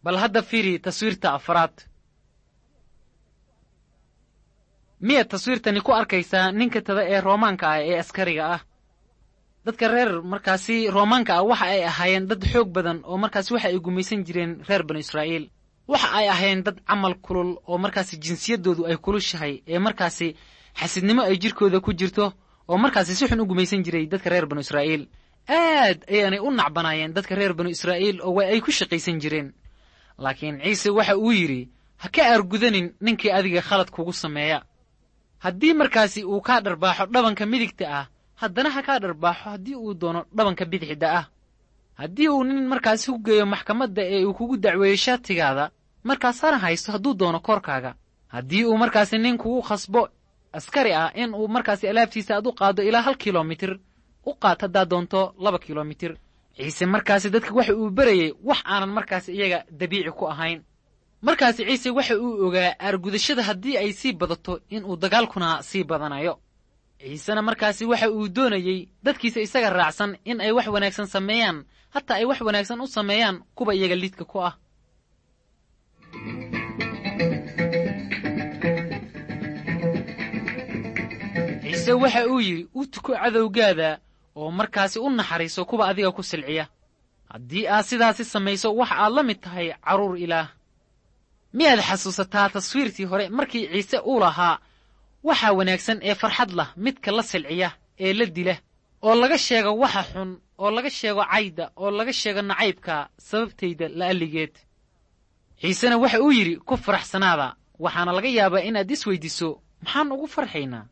Bal hadda fiiri taswiirta afraad. Miyaad taswiirtani ku arkaysaa ninka tada ee roomaanka ah ee askariga ah? Dadka reer markaasi roomaanka ah waxa ay ahaayeen dad xoog badan oo markaasi waxa ay gumaysan jireen reer banu Israa'iil. Waxa ay ahaayeen dad camal kulul oo markaasi jinsiyaddoodu ay kulushahay ee markaasi xasidnimo ay jirkooda ku jirto oo markaasi si xun u gumaysan jiray dadka reer banu Israa'iil. Aad ayaanay u nacbanaayeen dadka reer banu Israa'iil oo waa ay ku shaqaysan jireen. Laakiin Ciise waxa uu yidhi, ha ka aargudanin ninkii adiga khalad kugu sameeya. Haddii markaasi uu kaa dharbaaxo dhabanka midigta ah, haddana ha kaa dharbaaxo haddii uu doono dhabanka bidixda ah. Haddii uu nin markaasi ku geeyo maxkamadda ee uu kugu dacweeyo shaatigaada, markaas hana haysto hadduu doono koorkaaga. Haddii uu markaasi nin kugu khasbo askari ah in uu markaasi alaabtiisa aad u qaaddo ilaa 1 kilomitir, u qaad haddaad doonto 2 kilomitir. Ciise markaasi dadka waxa uu berayey wax aanan markaasi iyaga dabiici ku ahayn. Markaasi Ciise waxa uu ogaa aargudashada haddii ay sii badato inuu dagaalkuna sii badanayo. Ciisena markaasi waxa uu doonayey dadkiisa isaga raacsan in ay wax wanaagsan sameeyaan, hataa ay wax wanaagsan u sameeyaan kuwa iyaga lidka ku ah. Ciise waxa uu yidhi, u tuko cadowgaada oo markaasi u naxariiso kuwa adiga ku silciya. Haddii aad sidaasi samayso, waxa aad la mid tahay carruur Ilaah. Miyaad xasuusataa taswiirtii hore markii Ciise uu lahaa waxa wanaagsan ee farxad lah midka la silciya ee la dila, oo laga sheego waxa xun, oo laga sheego cayda, oo laga sheego nacaybka sababtayda la'alligeed. Ciisena waxa uu yidhi, ku faraxsanaada. Waxaana laga yaabaa inaad isweydiiso, maxaan ugu farxaynaa?